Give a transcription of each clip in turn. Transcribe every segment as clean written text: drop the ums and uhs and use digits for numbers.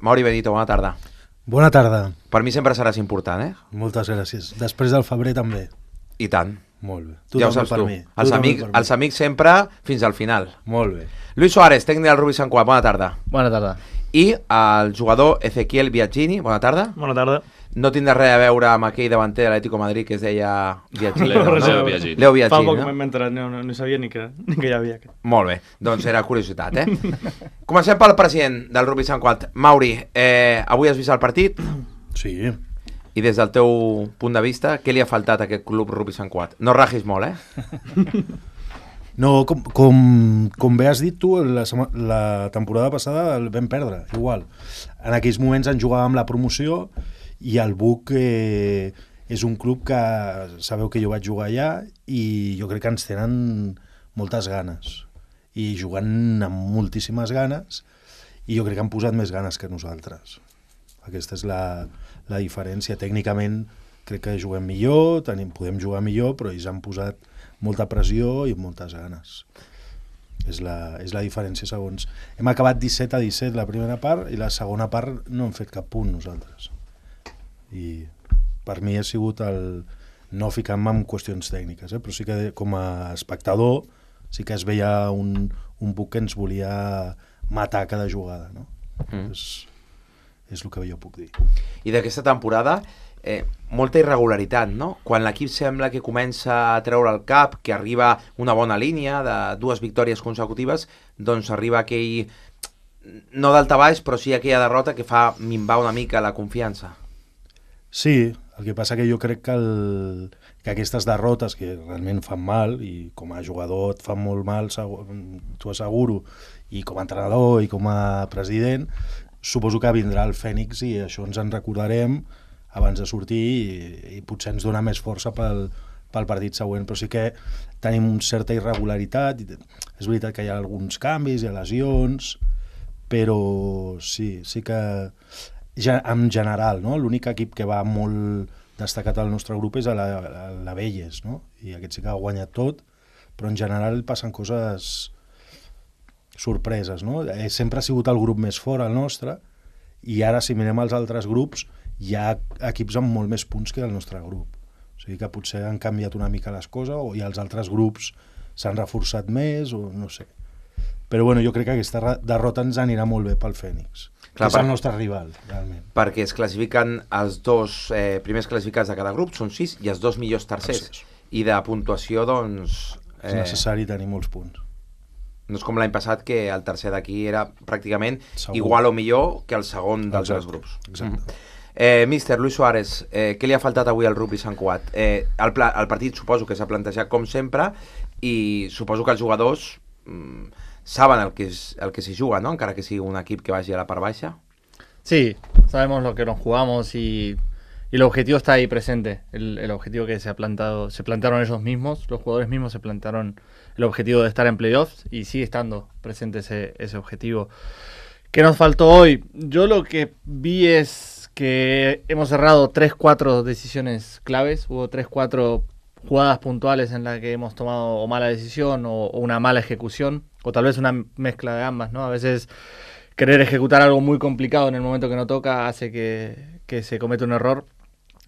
Mauri Benito, bona tarda. Bona tarda. Per mi sempre seràs important, eh? Moltes gràcies. Després del febrer també. I tant. Molt bé. Ja ho saps tu. Els amics sempre fins al final. Molt bé. Luis Suárez, tècnic del Rubí Sant Cugat, bona tarda. Bona tarda. I el jugador Ezequiel Biagini, bona tarda. Bona tarda. No tindrà res a veure amb aquell davanter de l'Atlético de Madrid que es deia Biagini. Leo Biagini. Fa poc m'he enterat, no sabia ni que hi havia aquest. Molt bé, doncs era curiositat, eh? Comencem pel president del Rubí Sant Cugat. Mauri, avui has vist el partit? Sí. I des del teu punt de vista, què li ha faltat a aquest club Rubí Sant Cugat? No ragis molt, eh? No, com bé has dit tu, la temporada passada el vam perdre, igual. En aquells moments en jugàvem la promoció i el Buc és un club que sabeu que jo vaig jugar allà i jo crec que ens tenen moltes ganes i jugant amb moltíssimes ganes i jo crec que han posat més ganes que nosaltres. Aquesta és la diferència. Tècnicament crec que juguem millor, podem jugar millor, però ells han posat molta pressió i moltes ganes. És la diferència segons. Hem acabat 17-17 la primera part i la segona part no hem fet cap punt nosaltres. I per mi ha sigut el no ficar-me en qüestions tècniques, però sí que com a espectador sí que es veia un Buc que ens volia matar cada jugada, no? És el que jo puc dir. I d'aquesta temporada molta irregularitat, no? Quan l'equip sembla que comença a treure el cap, que arriba una bona línia de 2 victòries consecutives, doncs arriba aquell, no daltabaix, però sí aquella derrota que fa minvar una mica la confiança. Sí, el que passa que jo crec que aquestes derrotes que realment fan mal, i com a jugador et fan molt mal, t'ho asseguro, i com a entrenador i com a president, suposo que vindrà el Fènix i això ens en recordarem abans de sortir i potser ens dona més força pel partit següent, però sí que tenim certa irregularitat. És veritat que hi ha alguns canvis, hi ha lesions, però sí que en general, no? L'únic equip que va molt destacat al nostre grup és la Velles, no? I aquest sí que ha guanyat tot, però en general passen coses sorpreses, no? Sempre ha sigut el grup més fort, el nostre, i ara si mirem els altres grups hi ha equips amb molt més punts que el nostre grup. O sigui que potser han canviat una mica les coses i els altres grups s'han reforçat més o no sé. Però bueno, jo crec que aquesta derrota ens anirà molt bé pel Fènix, que és el nostre rival, realment. Perquè es classifiquen els 2 primers classificats de cada grup, són 6, i els 2 millors tercers. I de puntuació, doncs... És necessari tenir molts punts. No és com l'any passat, que el tercer d'aquí era pràcticament igual o millor que el segon dels altres grups. Exacte. Míster Luis Suárez, què li ha faltat avui al Rugby Sant Cugat? El partit suposo que s'ha plantejat com sempre i suposo que els jugadors saben el que s'hi juga, ¿no? Encara que sigui un equip que vagi a la part baixa. Sí, sabemos lo que nos jugamos y el objetivo está ahí presente. El objetivo que se plantaron ellos mismos, los jugadores mismos se plantaron el objetivo de estar en playoffs y sigue estando presente ese objetivo. ¿Qué nos faltó hoy? Yo lo que vi es que hemos cerrado 3-4 decisiones claves, hubo 3-4 jugadas puntuales en las que hemos tomado o mala decisión o una mala ejecución, o tal vez una mezcla de ambas, ¿no? A veces querer ejecutar algo muy complicado en el momento que no toca hace que se cometa un error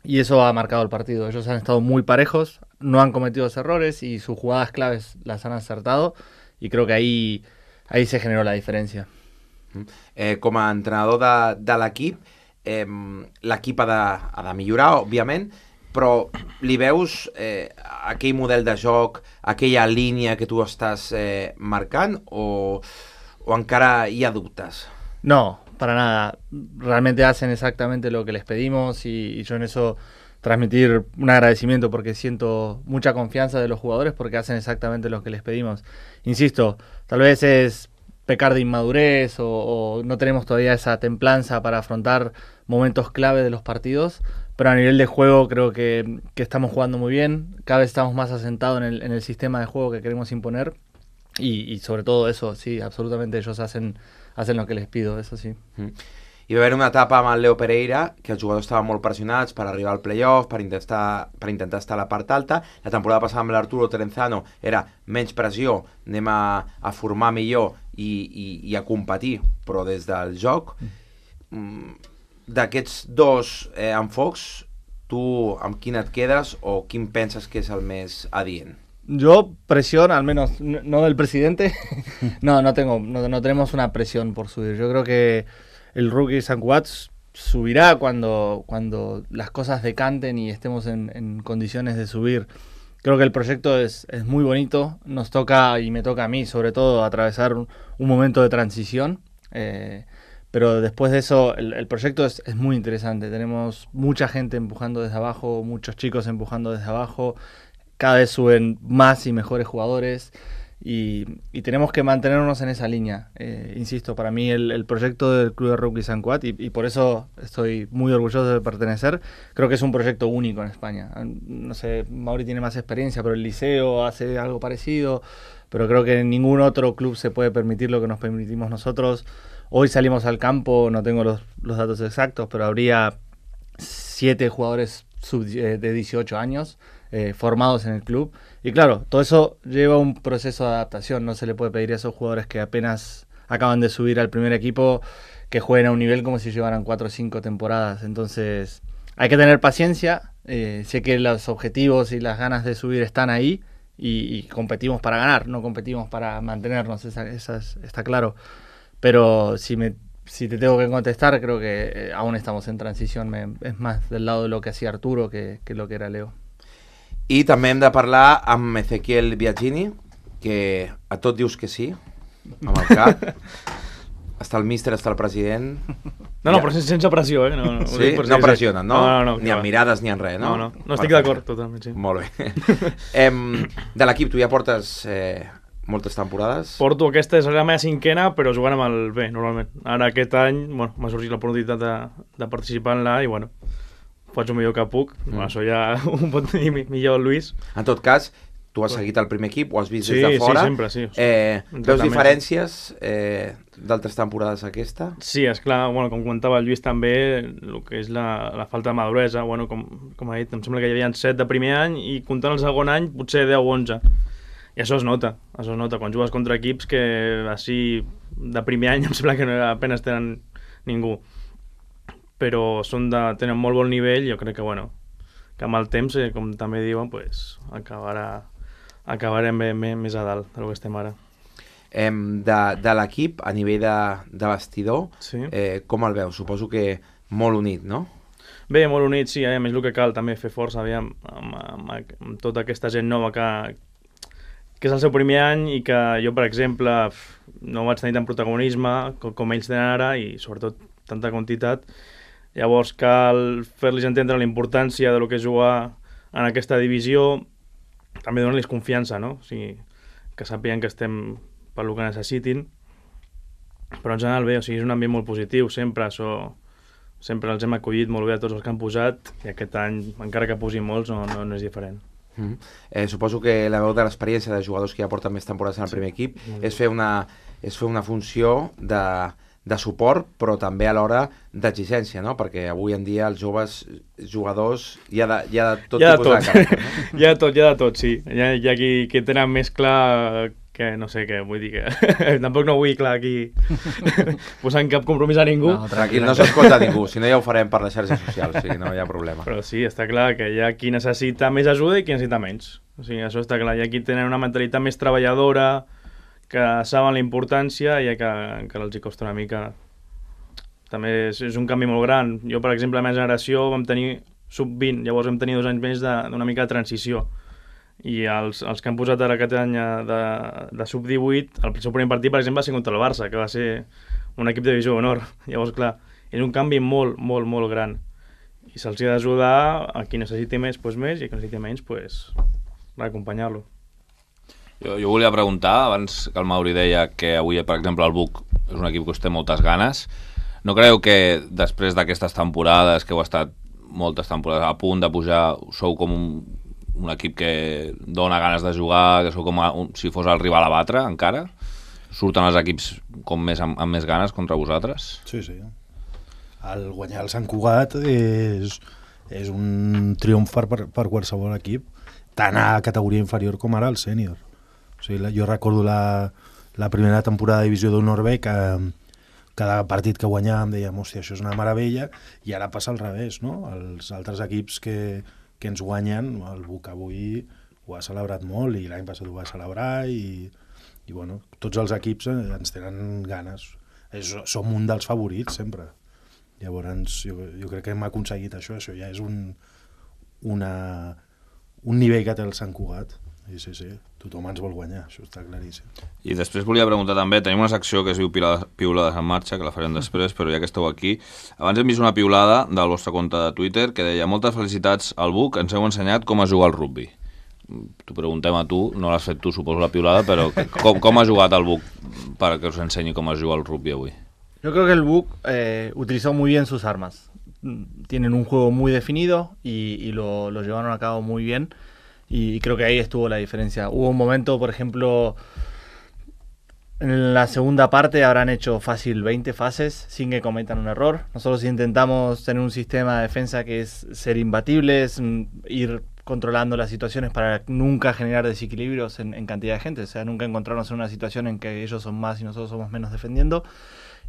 y eso ha marcado el partido. Ellos han estado muy parejos, no han cometido errores y sus jugadas claves las han acertado y creo que ahí se generó la diferència. Com a entrenador de l'equip, l'equip ha de millorar, òbviament, però li veus aquell model de joc, aquella línia que tu estàs marcant o encara hi ha dubtes? No, para nada. Realmente hacen exactamente lo que les pedimos y yo en eso transmitir un agradecimiento porque siento mucha confianza de los jugadores porque hacen exactamente lo que les pedimos. Insisto, tal vez es pecar de inmadurez o no tenemos todavía esa templanza para afrontar momentos clave de los partidos, pero a nivel de juego creo que estamos jugando muy bien, cada vez estamos más asentados en el sistema de juego que queremos imponer y sobre todo eso, sí, absolutamente ellos hacen lo que les pido, eso sí. Hi va haver una etapa amb el Leo Pereira que els jugadors estaven molt pressionats per arribar al playoff, per intentar estar a la part alta. La temporada passada amb l'Arturo Terenzano era menys pressió, anem a formar millor i a competir, però des del joc. d'aquests dos enfocs, tu amb quin et quedes o quin penses que és el més adient? Yo presión, al menos no del presidente, no tenemos una presión por subir. Yo creo que el Rookie Sant Cugat subirá cuando las cosas decanten y estemos en condiciones de subir. Creo que el proyecto es muy bonito, nos toca, y me toca a mí sobre todo, atravesar un momento de transición, pero después de eso el proyecto es muy interesante. Tenemos mucha gente empujando desde abajo, muchos chicos empujando desde abajo, cada vez suben más y mejores jugadores y tenemos que mantenernos en esa línea. Insisto, para mí el proyecto del Club de Rugby Sant Cugat, y por eso estoy muy orgulloso de pertenecer, creo que es un proyecto único en España. No sé, Mauri tiene más experiencia, pero el Liceo hace algo parecido, pero creo que ningún otro club se puede permitir lo que nos permitimos nosotros. Hoy salimos al campo, no tengo los datos exactos, pero habría 7 jugadores de 18 años formados en el club. Y claro, todo eso lleva un proceso de adaptación. No se le puede pedir a esos jugadores que apenas acaban de subir al primer equipo que jueguen a un nivel como si llevaran 4 o 5 temporadas. Entonces hay que tener paciencia. Sé que los objetivos y las ganas de subir están ahí y competimos para ganar, no competimos para mantenernos, está claro. Pero si te tengo que contestar, creo que aún estamos en transición. Es más del lado de lo que hacía Arturo que lo que era Leo. I també hem de parlar amb Ezequiel Biagini, que a tot dius que sí, amb el cap. Està el míster, està el president... No, però sense pressió, eh? No, sí? No pressionen, no? No, ni amb mirades ni en res, no? No estic d'acord totalment, sí. Molt bé. De l'equip, tu ja portes moltes temporades? Porto, aquesta és la meva 5a, però jugant amb el B, normalment. Ara aquest any, bueno, m'ha sorgit l'oportunitat de participar en l'A i, bueno, faig el millor que puc. Això ja ho pot dir millor el Lluís. En tot cas, tu has seguit el primer equip, ho has vist des de fora. Sí, sempre, sí. Veus diferències d'altres temporades aquesta? Sí, esclar, bueno, com comentava el Lluís també, el que és la falta de maduresa, bueno, com ha dit, em sembla que hi havia 7 de primer any i comptant el segon any potser 10 o 11. I això es nota, quan jugues contra equips que així de primer any em sembla que apenas tenen ningú. Però tenen molt bon nivell, jo crec que, bueno, que amb el temps, com també diuen, pues, acabarem més a dalt del que estem ara. De l'equip, a nivell de vestidor, sí. Com el veus? Suposo que molt unit, no? Bé, molt unit, sí, a més el que cal també fer força, aviam, amb tota aquesta gent nova que és el seu primer any i que jo, per exemple, no vaig tenir tant protagonisme com ells tenen ara i, sobretot, tanta quantitat. Llavors cal fer-los entendre la importància de lo que és jugar en aquesta divisió, també donar-los confiança, no? O sigui, que sàpiguen que estem per lo que necessitin, però en general bé, o sigui, és un ambient molt positiu, sempre els hem acollit molt bé a tots els que han posat i aquest any, encara que posin molts, no és diferent. Suposo que la veu de l'experiència de jugadors que ja porten més temporades en el primer equip és fer una funció de suport, però també alhora d'exigència, no? Perquè avui en dia els joves jugadors hi ha de tot tipus de caràcter, no? Hi ha de tot, sí. Hi ha qui tenen més clar que, no sé què, vull dir que tampoc no vull clar aquí posant cap compromís a ningú. No, tranquil, no s'escolta ningú, si no ja ho farem per les xarxes socials, o sigui, no hi ha problema. Però sí, està clar que hi ha qui necessita més ajuda i qui necessita menys. O sigui, això està clar. Hi ha qui tenen una mentalitat més treballadora, que saben la importància i que els hi costa una mica. També és un canvi molt gran. Jo, per exemple, la meva generació vam tenir sub-20, llavors vam tenir 2 anys més d'una mica de transició. I els que han posat ara aquest any de sub-18, el seu primer partit, per exemple, va ser contra el Barça, que va ser un equip de divisió d'honor. Llavors, clar, és un canvi molt, molt, molt gran. I se'ls ha d'ajudar a qui necessiti més, doncs més, i a qui necessiti menys, doncs, acompanyar-lo. Jo volia preguntar, abans que el Mauri deia que avui, per exemple, el Buc és un equip que us té moltes ganes. No creieu que després d'aquestes temporades, que heu estat moltes temporades a punt de pujar, sou com un equip que dona ganes de jugar, que sou com si fos el rival a batre encara? Surten els equips amb més ganes contra vosaltres? Sí. El guanyar el Sant Cugat és un triomf per qualsevol equip, tant a categoria inferior com ara al sènior. O sigui, jo recordo la primera temporada de Divisió d'Honor B que cada partit que guanyàvem dèiem, hòstia, això és una meravella, i ara passa al revés, no? Els altres equips que ens guanyen, el Buc avui ho ha celebrat molt, i l'any passat ho va celebrar, i bueno, tots els equips ens tenen ganes. Som un dels favorits, sempre. Llavors, jo crec que hem aconseguit això ja és un nivell que té el Sant Cugat. Sí, tothom ens vol guanyar, això està claríssim. I després volia preguntar també, tenim una secció que es diu Piulades en marxa, que la farem després, però ja que esteu aquí, abans hem vist una piulada del vostre compte de Twitter que deia: moltes felicitats al Buc, ens heu ensenyat com a jugar al rugby. T'ho preguntem a tu, no l'has fet tu, suposo, la piulada, però com ha jugat el Buc para que us ensenyi com es juga al rugby avui? Yo creo que el Buc utilizó muy bien sus armas. Tienen un juego muy definido y lo llevaron a cabo muy bien. Y creo que ahí estuvo la diferencia. Hubo un momento, por ejemplo, en la segunda parte habrán hecho fácil 20 fases sin que cometan un error. Nosotros intentamos tener un sistema de defensa que es ser imbatibles, ir controlando las situaciones para nunca generar desequilibrios en cantidad de gente. O sea, nunca encontrarnos en una situación en que ellos son más y nosotros somos menos defendiendo.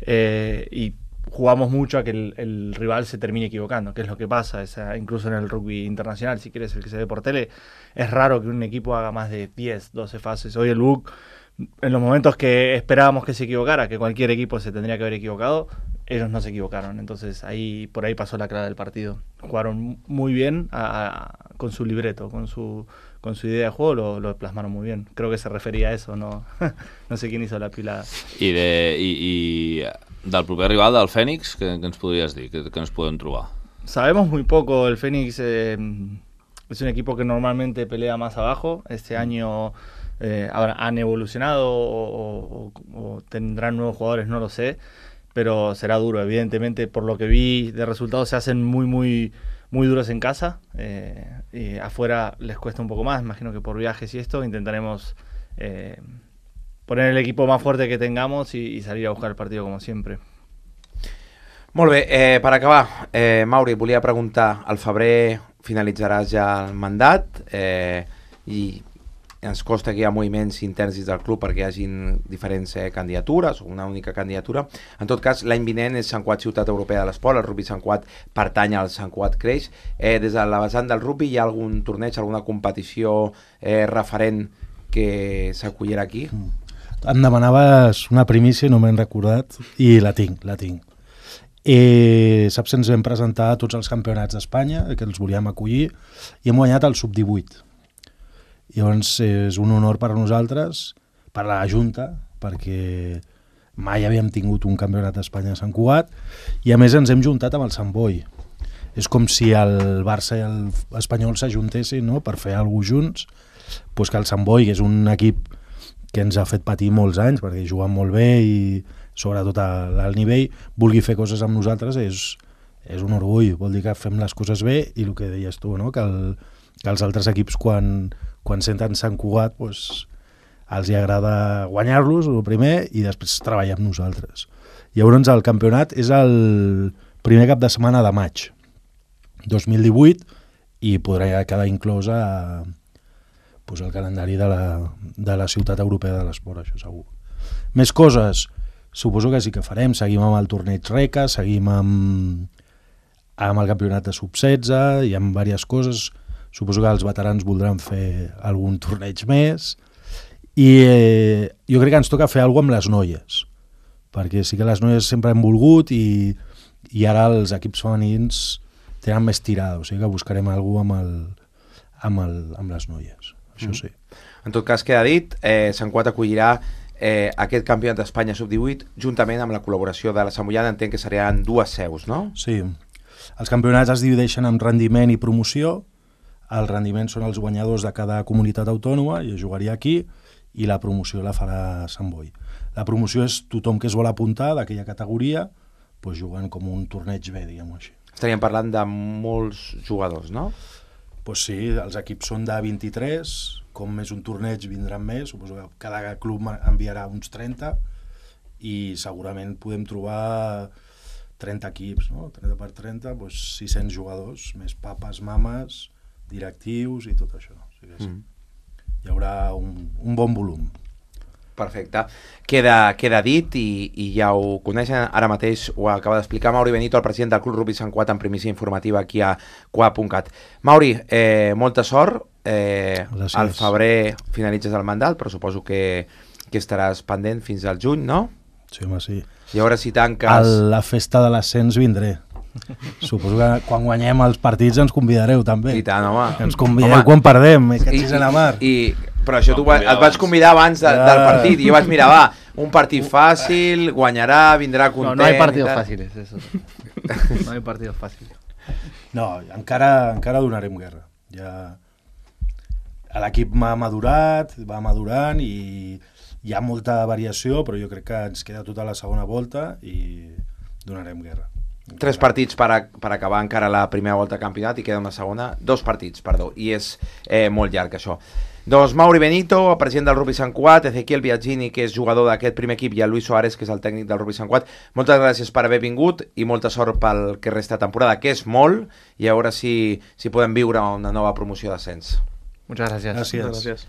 Y jugamos mucho a que el rival se termine equivocando, que es lo que pasa, incluso en el rugby internacional, si quieres, el que se ve por tele, es raro que un equipo haga más de 10, 12 fases. Hoy el Buc, en los momentos que esperábamos que se equivocara, que cualquier equipo se tendría que haber equivocado, ellos no se equivocaron. Entonces por ahí pasó la clave del partido. Jugaron muy bien con su libreto, con su idea de juego, lo plasmaron muy bien. Creo que se refería a eso, no sé quién hizo la pilada. I del proper rival, del Fènix, què ens podries dir? Què ens podem trobar? Sabemos muy poco. El Fénix es un equipo que normalmente pelea más abajo. Este año han evolucionado o tendrán nuevos jugadores, no lo sé, pero será duro. Evidentemente, por lo que vi de resultados, se hacen muy, muy, muy duros en casa. Y afuera les cuesta un poco más, imagino que por viajes y esto. Intentaremos poner el equipo más fuerte que tengamos y salir a buscar el partido como siempre. Molt bé, per acabar, Mauri, volia preguntar, al febrer finalitzaràs ja el mandat i ens costa que hi ha moviments interns dins del club perquè hi hagin diferents candidatures o una única candidatura. En tot cas, l'any vinent és Sant Cugat Ciutat Europea de l'Esport, el rugby Sant Cugat pertany al Sant Cugat Creix. Des de la vessant del rugby hi ha algun torneig, alguna competició referent que s'acollirà aquí? Em demanaves una primícia, no m'he recordat, i la tinc. Saps, ens vam presentar a tots els campionats d'Espanya, que els volíem acollir, i hem guanyat el sub-18. Llavors és un honor per a nosaltres, per a la Junta, perquè mai havíem tingut un campionat d'Espanya a Sant Cugat, i a més ens hem juntat amb el Sant Boi. És com si el Barça i l'Espanyol s'ajuntessin, no?, per fer alguna cosa junts, doncs que el Sant Boi, que és un equip que ens ha fet patir molts anys perquè juguen molt bé i sobretot a l'alt nivell, vulgui fer coses amb nosaltres és un orgull, vol dir que fem les coses bé i el que deies tu, no? que els altres equips quan senten Sant Cugat doncs, els hi agrada guanyar-los el primer i després treballar amb nosaltres. Llavors el campionat és el primer cap de setmana de maig 2018 i podrà quedar inclòs el calendari de la Ciutat Europea de l'Esport, això segur. Més coses, suposo que sí que farem, seguim amb el torneig RECA, seguim amb el campionat de sub-16, hi ha diverses coses, suposo que els veterans voldran fer algun torneig més, i jo crec que ens toca fer alguna cosa amb les noies, perquè sí que les noies sempre han volgut i ara els equips femenins tenen més tirada, o sigui que buscarem alguna cosa amb les noies. Això sí. En tot cas, queda dit, Sant Cugat acollirà aquest campionat d'Espanya sub-18 juntament amb la col·laboració de la Samboiana. Entenc que seran dues seus, no? Sí. Els campionats es divideixen en rendiment i promoció. El rendiment són els guanyadors de cada comunitat autònoma i es jugaria aquí, i la promoció la farà Sant Boi. La promoció és tothom que es vol apuntar d'aquella categoria, doncs jugant com un torneig B, diguem-ho així. Estaríem parlant de molts jugadors, no? Pues sí, els equips són de 23, com més un torneig vindran més, suposo que cada club enviarà uns 30 i segurament podem trobar 30 equips, no? 30 per 30, doncs 600 jugadors, més papes, mames, directius i tot això. O sigui que sí. Hi haurà un bon volum. Perfecte. Queda dit i ja ho coneixen, ara mateix ho acaba d'explicar Mauri Benito, el president del Club Rugby Sant Cugat, en primícia informativa aquí a QA.cat. Mauri, molta sort, al febrer finalitzes el mandat, però suposo que estaràs pendent fins al juny, no? Sí, home, sí. I a veure si tanques... A la festa de l'ascens vindré. Suposo que quan guanyem els partits ens convidareu també. I tant, home. Ens convidareu quan perdem, catxis a la mar. Però això et vaig convidar abans del partit i jo vaig mirar, va, un partit fàcil, guanyarà, vindrà content... No hay partidos fáciles, eso. No hay partidos fáciles. No, encara donarem guerra. Ja... L'equip va madurant i hi ha molta variació, però jo crec que ens queda tota la segona volta i donarem guerra. 3 partits per acabar encara la primera volta de campionat i queda una segona, 2 partits, perdó, i és molt llarg això. Doncs Mauri Benito, el president del Rugby Sant Cugat, Ezequiel Biagini, que és jugador d'aquest primer equip, i el Luis Soares, que és el tècnic del Rugby Sant Cugat. Moltes gràcies per haver vingut i molta sort pel que resta de temporada, que és molt, i a veure si podem viure una nova promoció d'ascens. Muchas gracias. Gràcies. Gràcies.